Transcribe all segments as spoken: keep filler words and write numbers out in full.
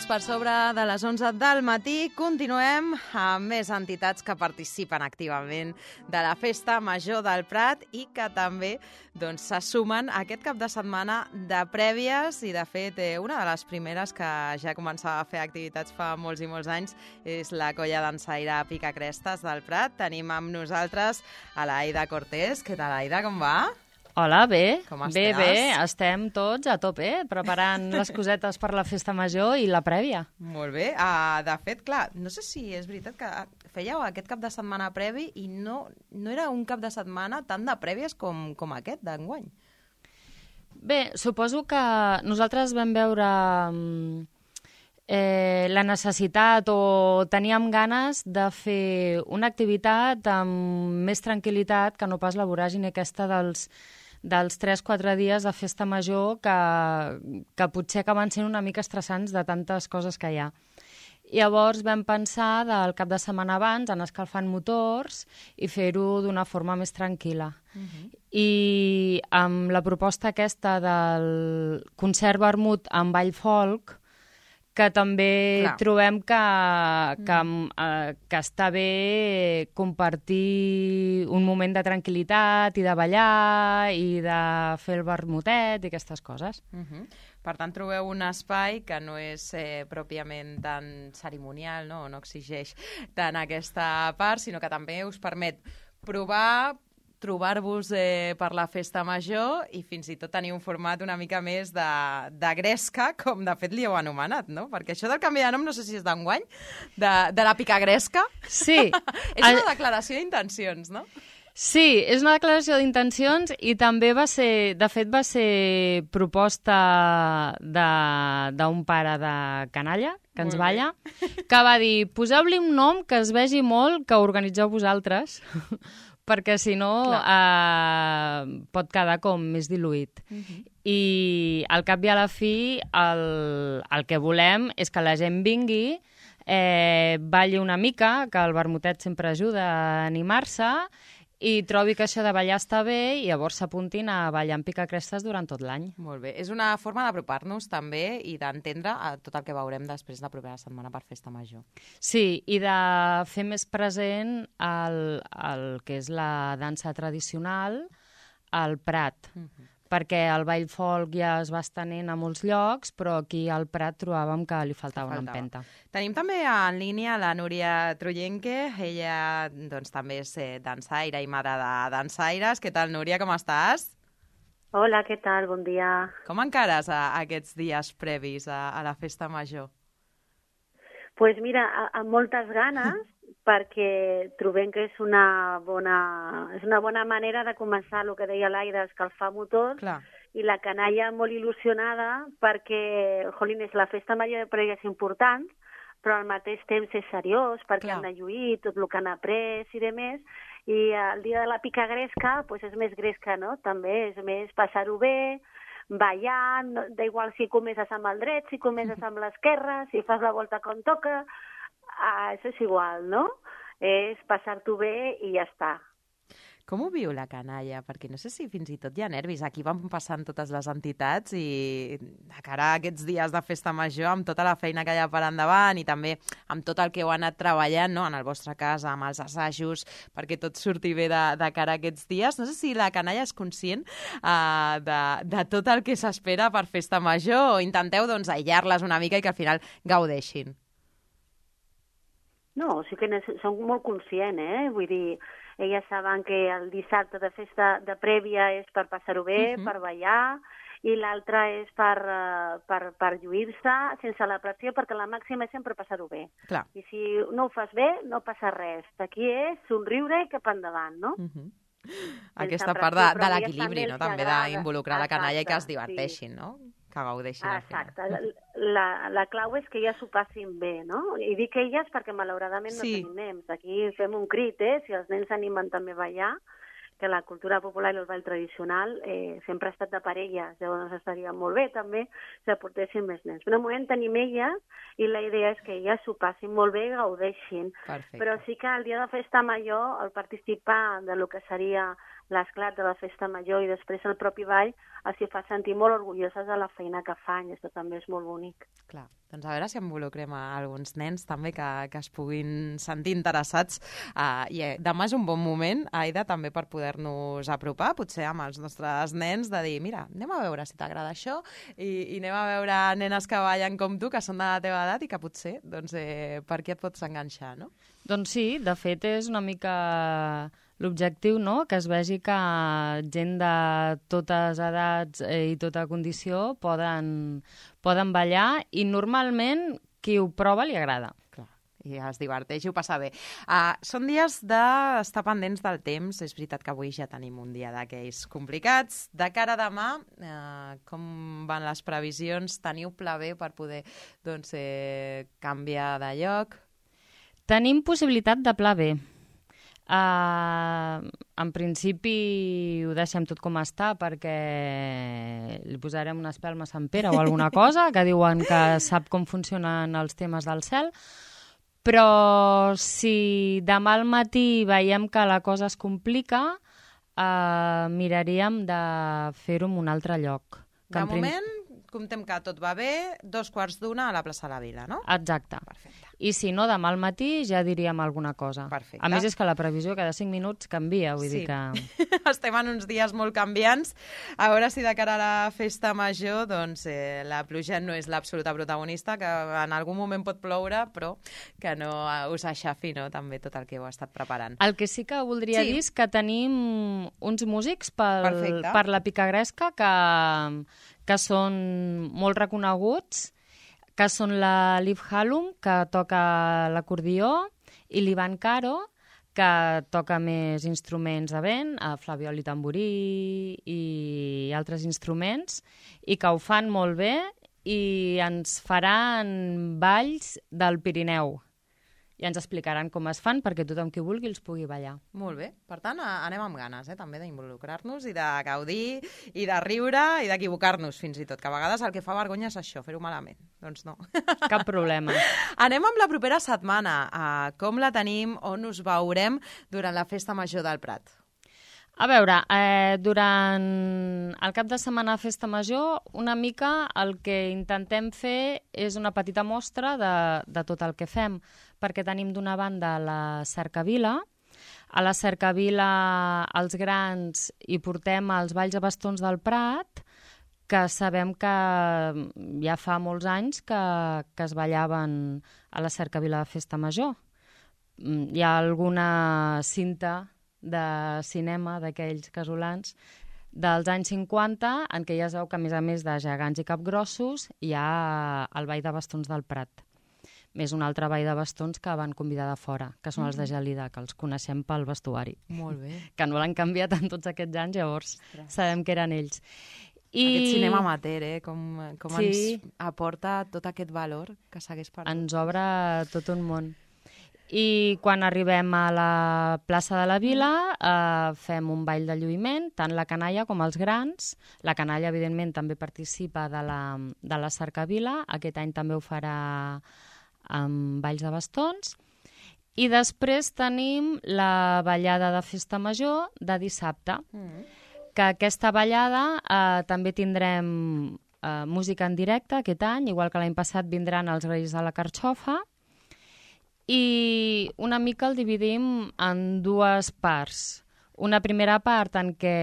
minuts per sobre de les onze del matí. Continuem amb més entitats que participen activament de la Festa Major del Prat i que també doncs, se sumen aquest cap de setmana de prèvies i, de fet, eh, una de les primeres que ja començava a fer activitats fa molts i molts anys és la colla dansaire Picacrestes del Prat. Tenim amb nosaltres a l'Aida Cortés. Què tal, Aida? Com va? Hola, bé, Com bé, estàs? bé, estem tots a tope, preparant les cosetes per la festa major i la prèvia. Molt bé. Uh, de fet, clar, no sé si és veritat que fèieu aquest cap de setmana previ i no, no era un cap de setmana tant de prèvies com, com aquest d'enguany. Bé, suposo que nosaltres vam veure eh, la necessitat o teníem ganes de fer una activitat amb més tranquil·litat que no pas la voràgine aquesta dels dels tres quatre dies de festa major que, que potser acaben sent una mica estressants de tantes coses que hi ha. Llavors vam pensar del cap de setmana abans anar escalfant motors i fer-ho d'una forma més tranquil·la. Uh-huh. I amb la proposta aquesta del concert vermut amb ball folk, que també Clar. trobem que, que, eh, que està bé compartir un moment de tranquil·litat i de ballar i de fer el vermutet i aquestes coses. Uh-huh. Per tant, trobeu un espai que no és eh, pròpiament tan cerimonial, no? no exigeix tant aquesta part, sinó que també us permet provar, trobar-vos eh, per la festa major i fins i tot tenir un format una mica més de, de gresca, com de fet li heu anomenat, no? Perquè això del canvi de nom no sé si és d'enguany, de, de la picagresca. Sí. És una declaració d'intencions, no? Sí, és una declaració d'intencions i també va ser, de fet va ser proposta d'un pare de canalla, que ens balla, que va dir, poseu-li un nom que es vegi molt que organitzeu vosaltres, perquè si no eh, pot quedar com més diluït. Uh-huh. I al cap i a la fi el, el que volem és que la gent vingui, eh, balli una mica, que el vermutet sempre ajuda a animar-se, i trobi que això de ballar està bé i llavors s'apuntin a ballar amb Picacrestes durant tot l'any. Molt bé. És una forma d'apropar-nos també i d'entendre tot el que veurem després de la propera setmana per Festa Major. Sí, i de fer més present el, el que és la dansa tradicional al Prat. Uh-huh. Perquè el ball folk ja es va estenent a molts llocs, però aquí al Prat trobàvem que li faltava, faltava. una empenta. Tenim també en línia la Núria Trullenque, ella doncs, també és eh, dansaire i mare de dansaires. Què tal, Núria, com estàs? Hola, què tal? Bon dia. Com encares a, a aquests dies previs a, a la festa major? Doncs pues mira, amb moltes ganes, perquè trobem que és una bona, és una bona manera de començar el que deia l'Aida, escalfar motors. Clar. I la canalla molt il·lusionada perquè, jolín, és la festa major de prèvies important, però al mateix temps és seriós perquè Clar. han de lluir tot el que han après i demés, i el dia de la picagresca pues, és més gresca, no? També és més passar-ho bé, ballant, no, d'igual si comences amb el dret, si comences amb l'esquerra, si fas la volta com toca, ah, això és igual, no? És passar-t'ho bé i ja està. Com ho viu la canalla? Perquè no sé si fins i tot hi ha nervis. Aquí van passant totes les entitats i de cara a aquests dies de festa major, amb tota la feina que hi ha per endavant i també amb tot el que heu anat treballant, no? En el vostre cas, amb els assajos, perquè tot surti bé de, de cara a aquests dies. No sé si la canalla és conscient uh, de, de tot el que s'espera per festa major o intenteu doncs, aïllar-les una mica i que al final gaudeixin. No, sí que són molt conscients, eh? Vull dir, elles saben que el dissabte de festa de prèvia és per passar-ho bé, uh-huh. per ballar, i l'altre és per, uh, per, per lluir-se sense la pressió, perquè la màxima és sempre passar-ho bé. Clar. I si no ho fas bé, no passa res. Aquí és somriure i cap endavant, no? Uh-huh. Aquesta part de, de l'equilibri, no? També d'involucrar la canalla i que es diverteixin, sí. no? Que gaudeixin al final. Exacte. La, la clau és que elles s'ho passin bé, no? I dic elles perquè malauradament no sí. tenim nens. Aquí fem un crit, eh? Si els nens s'animen també a ballar, que la cultura popular i el ball tradicional eh, sempre ha estat de parelles, llavors estaria molt bé també si aportessin més nens. Però de moment tenim elles i la idea és que elles s'ho passin molt bé i gaudeixin. Perfecte. Però sí que el dia de festa major, el participar de lo que seria l'esclat de la festa major i després el propi ball els hi fa sentir molt orgulloses de la feina que fan, i això també és molt bonic. Clar, doncs a veure si involucrem a alguns nens també que, que es puguin sentir interessats. Uh, I eh, demà és un bon moment, Aida, també per poder-nos apropar, potser amb els nostres nens, de dir, mira, anem a veure si t'agrada això i, i anem a veure nenes que ballen com tu, que són de la teva edat i que potser, doncs, eh, per què et pots enganxar, no? Doncs sí, de fet és una mica l'objectiu, no?, que es vegi que gent de totes edats i tota condició poden, poden ballar i normalment qui ho prova li agrada. Clar, i es diverteix i ho passa bé. Uh, són dies d'estar pendents del temps. És veritat que avui ja tenim un dia d'aquells complicats. De cara a demà, uh, com van les previsions? Teniu pla B per poder doncs, eh, canviar de lloc? Tenim possibilitat de pla B. Uh, en principi ho deixem tot com està perquè li posarem una espelma a Sant Pere o alguna cosa, que diuen que sap com funcionen els temes del cel, però si demà al matí veiem que la cosa es complica, uh, miraríem de fer-ho en un altre lloc. De moment, comptem que tot va bé, dos quarts d'una a la plaça de la Vila, no? Exacte. Perfecte. I si no, demà al matí ja diríem alguna cosa. Perfecte. A més, és que la previsió cada cinc minuts canvia, vull sí. dir que... Estem en uns dies molt canviants. A veure si de cara a la festa major doncs, eh, la pluja no és l'absoluta protagonista, que en algun moment pot ploure, però que no us aixafi, no?, també tot el que heu estat preparant. El que sí que voldria sí. dir és que tenim uns músics pel, per la Picagresca que, que són molt reconeguts, que són la Liv Hallum, que toca l'acordió, i l'Ivan Caro, que toca més instruments de vent, flabiol i tamborí i altres instruments, i que ho fan molt bé i ens faran balls del Pirineu. I ens explicaran com es fan perquè tothom qui vulgui els pugui ballar. Molt bé. Per tant, anem amb ganes, eh, també d'involucrar-nos i de gaudir i de riure i d'equivocar-nos fins i tot, que a vegades el que fa vergonya és això, fer-ho malament. Doncs no. Cap problema. Anem amb la propera setmana. Uh, com la tenim, on us veurem durant la Festa Major del Prat? A veure, eh, durant el cap de setmana de Festa Major, una mica el que intentem fer és una petita mostra de, de tot el que fem, perquè tenim d'una banda la cercavila. A la cercavila els grans hi portem els balls a bastons del Prat, que sabem que ja fa molts anys que, que es ballaven a la cercavila de Festa Major. Hi ha alguna cinta de cinema d'aquells casolans dels anys cinquanta, en què ja es veu que, a més a més de gegants i capgrossos, hi ha el ball de bastons del Prat. Més un altre ball de bastons que van convidar de fora, que són els de Gelida, que els coneixem pel vestuari. Molt bé. Que no l'han canviat en tots aquests anys, llavors Ostres. Sabem que eren ells. I... Aquest cinema amateur, eh? Com, com sí. ens aporta tot aquest valor que s'hagués perdut. Ens obre tot un món. I quan arribem a la plaça de la Vila eh, fem un ball de lluïment, tant la canalla com els grans. La canalla, evidentment, també participa de la, de la cercavila. Aquest any també ho farà amb balls de bastons. I després tenim la ballada de Festa Major de dissabte, mm. que aquesta ballada eh, també tindrem eh, música en directe aquest any, igual que l'any passat vindran els Reis de la Carxofa. I una mica el dividim en dues parts. Una primera part en què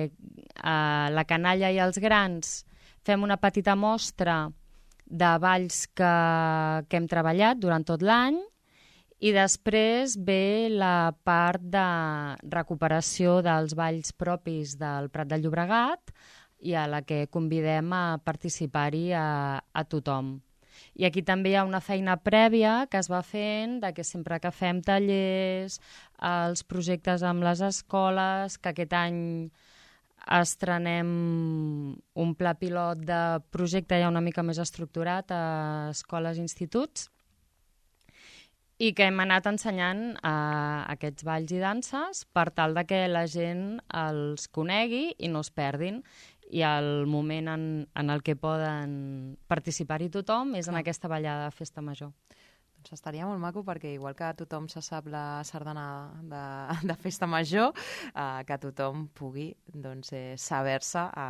eh, la canalla i els grans fem una petita mostra de balls que, que hem treballat durant tot l'any, i després ve la part de recuperació dels balls propis del Prat de Llobregat i a la que convidem a participar-hi a, a tothom. I aquí també hi ha una feina prèvia que es va fent, de que sempre que fem tallers, els projectes amb les escoles, que aquest any estrenem un pla pilot de projecte ja una mica més estructurat a escoles i instituts, i que hem anat ensenyant a aquests balls i danses per tal de que la gent els conegui i no es perdin. I el moment en, en el que poden participar-hi tothom és en aquesta ballada de Festa Major. Doncs estaria molt maco perquè igual que tothom se sap la sardana de, de festa major, eh, que tothom pugui doncs, eh, saber-se a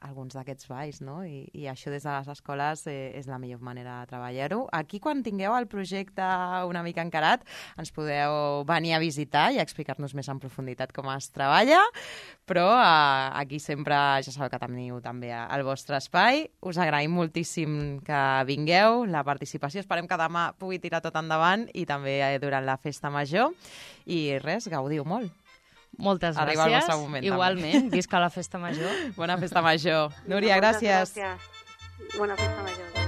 alguns d'aquests balls, no? I, I això des de les escoles eh, és la millor manera de treballar-ho. Aquí, quan tingueu el projecte una mica encarat, ens podeu venir a visitar i explicar-nos més en profunditat com es treballa, però eh, aquí sempre ja sabeu que teniu també el vostre espai. Us agraïm moltíssim que vingueu, la participació. Esperem que demà pugui tirar tot endavant i també durant la festa major. I res, gaudiu molt. Moltes Arriba gràcies. El vostre moment, igualment, també. visca la festa major. Bona festa major. Núria, gràcies. Gràcies. Bona festa major.